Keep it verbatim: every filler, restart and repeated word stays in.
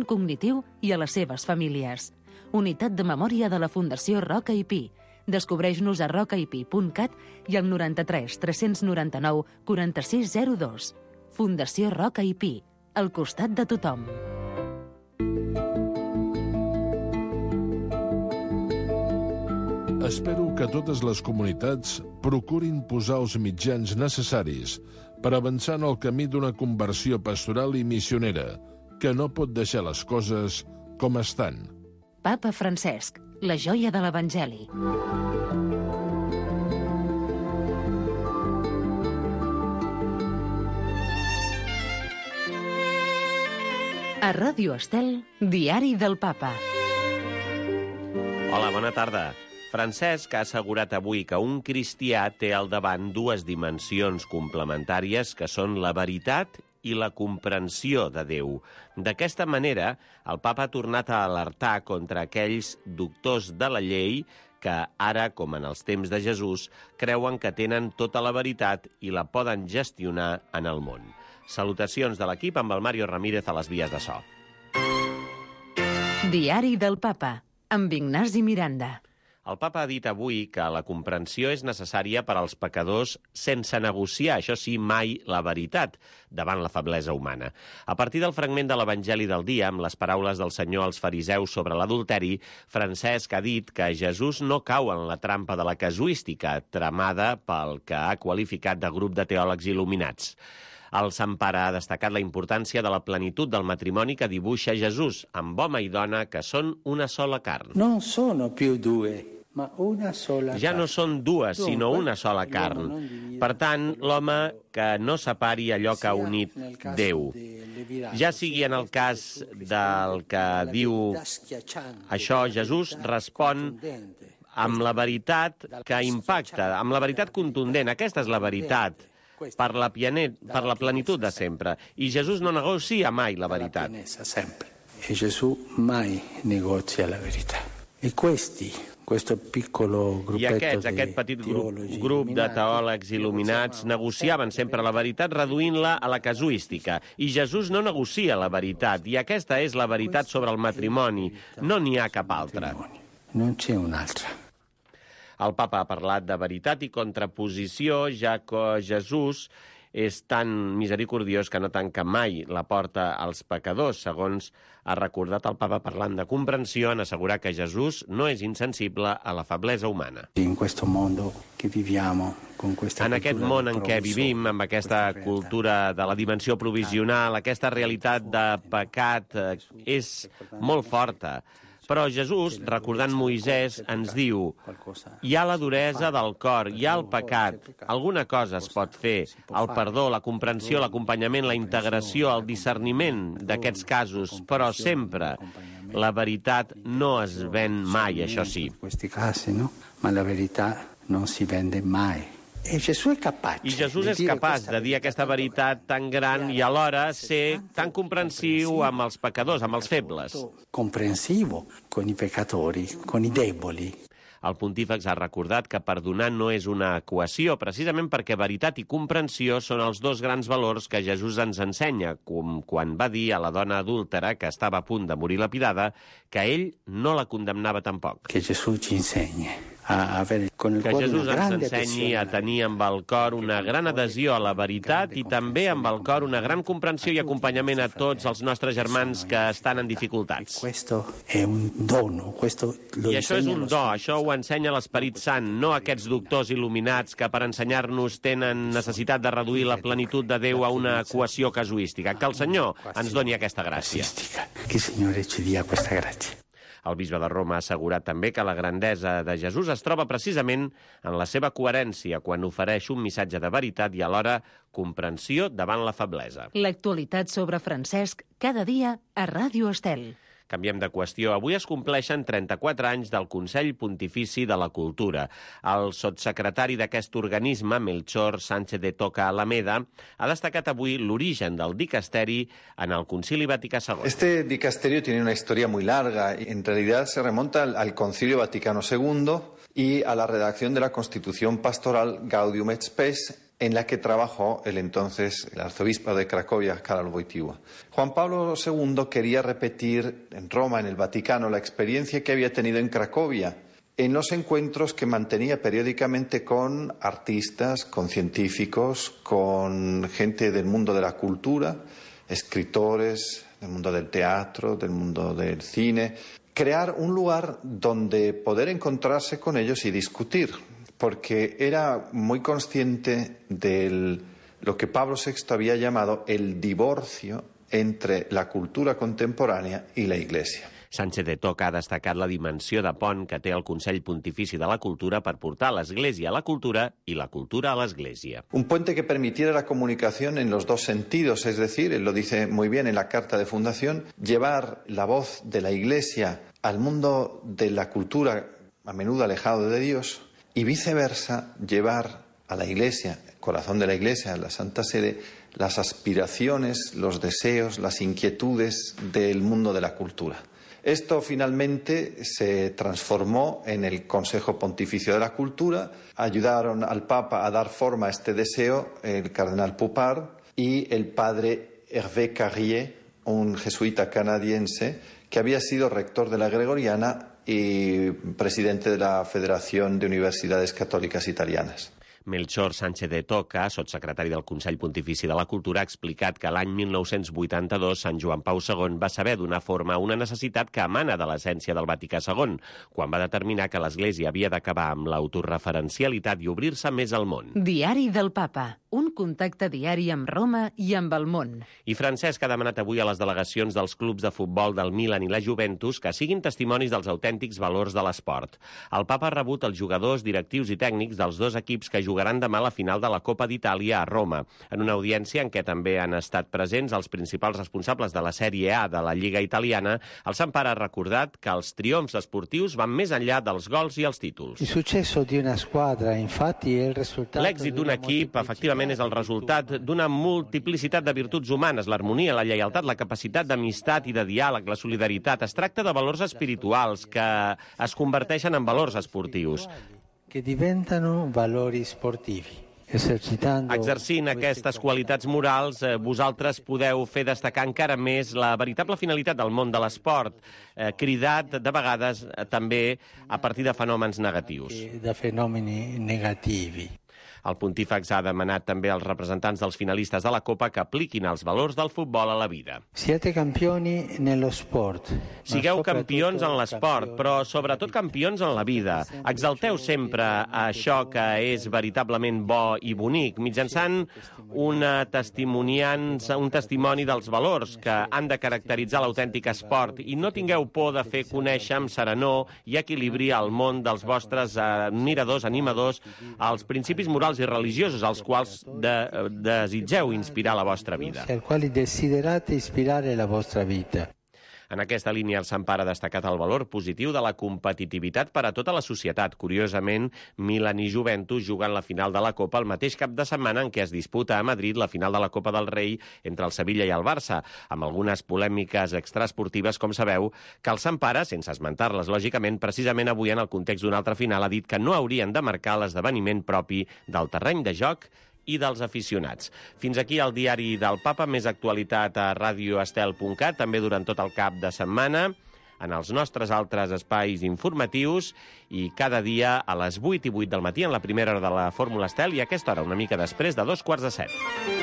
cognitiu i a les seves famílies. Unitat de memòria de la Fundació Roca i Pi. Descobreix-nos a roca i pi punt cat i al noranta-tres tres noranta-nou quaranta-sis zero dos. Fundació Roca i Pi, al costat de tothom. Espero que totes les comunitats procurin posar els mitjans necessaris per avançar en el camí d'una conversió pastoral i missionera, que no pot deixar les coses com estan. Papa Francesc, la joia de l'Evangeli. A Ràdio Estel, Diari del Papa. Hola, bona tarda. Francesc ha assegurat avui que un cristià té al davant dues dimensions complementàries que són la veritat i la comprensió de Déu. D'aquesta manera, el papa ha tornat a alertar contra aquells doctors de la llei que ara, com en els temps de Jesús, creuen que tenen tota la veritat i la poden gestionar en el món. Salutacions de l'equip amb el Mario Ramírez a les vies de so. Diari del Papa, amb Ignasi Miranda. El papa ha dit avui que la comprensió és necessària per als pecadors sense negociar, això sí, mai la veritat, davant la feblesa humana. A partir del fragment de l'Evangeli del dia, amb les paraules del Senyor als fariseus sobre l'adulteri, Francesc ha dit que Jesús no cau en la trampa de la casuística, tramada pel que ha qualificat de grup de teòlegs il·luminats. El Sant Pare ha destacat la importància de la plenitud del matrimoni que dibuixa Jesús, amb home i dona que són una sola carn. Non sono più due. Una sola ja no són dues, sinó una sola carn. Per tant, l'home que no separi allò que ha unit Déu. Ja sigui en el cas del que diu això, Jesús respon amb la veritat que impacta, amb la veritat contundent. Aquesta és la veritat, per la, pianet, per la plenitud de sempre. I Jesús no negocia mai la veritat. E Gesù mai negozia la verità. E questi Questo piccolo I aquests, aquest petit grup, grup de teòlegs il·luminats negociaven sempre la veritat reduint-la a la casuística. I Jesús no negocia la veritat, i aquesta és la veritat sobre el matrimoni. No n'hi ha cap altra. No c'è un'altra. El papa ha parlat de veritat i contraposició, ja que Jesús és tan misericordiós que no tanca mai la porta als pecadors, segons ha recordat el papa parlant de comprensió en assegurar que Jesús no és insensible a la feblesa humana. En questo mondo que viviamo, con questa en aquest món en què vivim, amb aquesta cultura de la dimensió provisional, aquesta realitat de pecat és molt forta. Però Jesús, recordant Moisès, ens diu: hi ha la duresa del cor, hi ha el pecat, alguna cosa es pot fer, el perdó, la comprensió, l'acompanyament, la integració, el discerniment d'aquests casos, però sempre la veritat no es ven mai, això sí. In questi casi, no? Ma la verità non si vende mai. I Jesús és capaç de dir aquesta veritat tan gran i alhora ser tan comprensiu amb els pecadors, amb els febles. Comprensivo con i peccatori, con i deboli. El pontífex ha recordat que perdonar no és una equació, precisament perquè veritat i comprensió són els dos grans valors que Jesús ens ensenya, com quan va dir a la dona adúltera, que estava a punt de morir lapidada, que ell no la condemnava tampoc. Que Jesús ci insegni. A ver, con el que Jesús ens ensenyi a tenir amb el cor una gran adhesió a la veritat i també amb el cor una gran comprensió i acompanyament a tots els nostres germans que estan en dificultats. I això és un do, això ho ensenya l'Esperit Sant, no aquests doctors il·luminats que per ensenyar-nos tenen necessitat de reduir la plenitud de Déu a una equació casuística. Que el Senyor ens doni aquesta gràcia. Que el Senyor ci dia questa gràcia. El bisbe de Roma ha assegurat també que la grandesa de Jesús es troba precisament en la seva coherència quan ofereix un missatge de veritat i alhora comprensió davant la feblesa. L'actualitat sobre Francesc cada dia a Ràdio Estel. Canviem de qüestió. Avui es compleixen trenta-quatre anys del Consell Pontifici de la Cultura. El sotssecretari d'aquest organisme, Melchor Sánchez de Toca Alameda, ha destacat avui l'origen del dicasteri en el Concili Vaticà segon. Este dicasterio tiene una historia muy larga. En realidad se remonta al, al Concilio Vaticano segundo y a la redacción de la Constitución Pastoral Gaudium et Spes en la que trabajó el entonces el arzobispo de Cracovia, Karol Wojtyła. Juan Pablo segundo quería repetir en Roma, en el Vaticano, la experiencia que había tenido en Cracovia, en los encuentros que mantenía periódicamente con artistas, con científicos, con gente del mundo de la cultura, escritores, del mundo del teatro, del mundo del cine. Crear un lugar donde poder encontrarse con ellos y discutir, porque era muy consciente de lo que Pablo sexto había llamado el divorcio entre la cultura contemporánea y la Iglesia. Sánchez de Toca ha destacat la dimensió de pont que té el Consell Pontifici de la Cultura per portar l'Església a la cultura i la cultura a l'Església. Un puente que permitiera la comunicación en los dos sentidos, es decir, él lo dice muy bien en la carta de fundación, llevar la voz de la Iglesia al mundo de la cultura a menudo alejado de Dios y viceversa, llevar a la Iglesia, el corazón de la Iglesia, a la Santa Sede, las aspiraciones, los deseos, las inquietudes del mundo de la cultura. Esto finalmente se transformó en el Consejo Pontificio de la Cultura. Ayudaron al Papa a dar forma a este deseo el cardenal Poupart y el padre Hervé Carrier, un jesuita canadiense que había sido rector de la Gregoriana y presidente de la Federación de Universidades Católicas Italianas. Melchor Sánchez de Toca, sotssecretari del Consell Pontifici de la Cultura, ha explicat que l'any mil nou-cents vuitanta-dos Sant Joan Pau segon va saber donar forma a una necessitat que emana de l'essència del Vaticà segon, quan va determinar que l'Església havia d'acabar amb l'autoreferencialitat i obrir-se més al món. Diari del Papa, un contacte diari amb Roma i amb el món. I Francesc ha demanat avui a les delegacions dels clubs de futbol del Milan i la Juventus que siguin testimonis dels autèntics valors de l'esport. El Papa ha rebut els jugadors, directius i tècnics dels dos equips que jugaran demà la final de la Copa d'Itàlia a Roma, en una audiència en què també han estat presents els principals responsables de la Sèrie A de la Lliga italiana. El Sant Pare ha recordat que els triomfs esportius van més enllà dels gols i els títols. L'èxit d'un equip, efectivament, és el resultat d'una multiplicitat de virtuts humanes, l'harmonia, la lleialtat, la capacitat d'amistat i de diàleg, la solidaritat. Es tracta de valors espirituals que es converteixen en valors esportius. Que diventano valori sportivi. Exercint aquestes qualitats morals, eh, vosaltres podeu fer destacar encara més la veritable finalitat del món de l'esport, eh, cridat de vegades eh, també a partir de fenòmens negatius. De fenomeni negativi. El pontífex ha demanat també als representants dels finalistes de la Copa que apliquin els valors del futbol a la vida. Siete campioni nello sport. Sigueu campions en l'esport, però sobretot campions en la vida. Exalteu sempre això que és veritablement bo i bonic, mitjançant una testimoniança, un testimoni dels valors que han de caracteritzar l'autèntic esport, i no tingueu por de fer conèixer amb serenor i equilibri al món dels vostres admiradors, animadors, els principis morals i religiosos als quals de, desitgeu inspirar la vostra vida. Als quali desiderate ispirare la vostra vita. En aquesta línia, el Sant Pare ha destacat el valor positiu de la competitivitat per a tota la societat. Curiosament, Milan i Juventus juguen la final de la Copa el mateix cap de setmana en què es disputa a Madrid la final de la Copa del Rei entre el Sevilla i el Barça, amb algunes polèmiques extraesportives, com sabeu, que el Sant Pare, sense esmentar-les lògicament, precisament avui en el context d'una altra final ha dit que no haurien de marcar l'esdeveniment propi del terreny de joc i dels aficionats. Fins aquí el diari del Papa, més actualitat a radio estel punt cat, també durant tot el cap de setmana, en els nostres altres espais informatius i cada dia a les vuit i vuit del matí en la primera hora de la Fórmula Estel i a aquesta hora una mica després de dos quarts de set.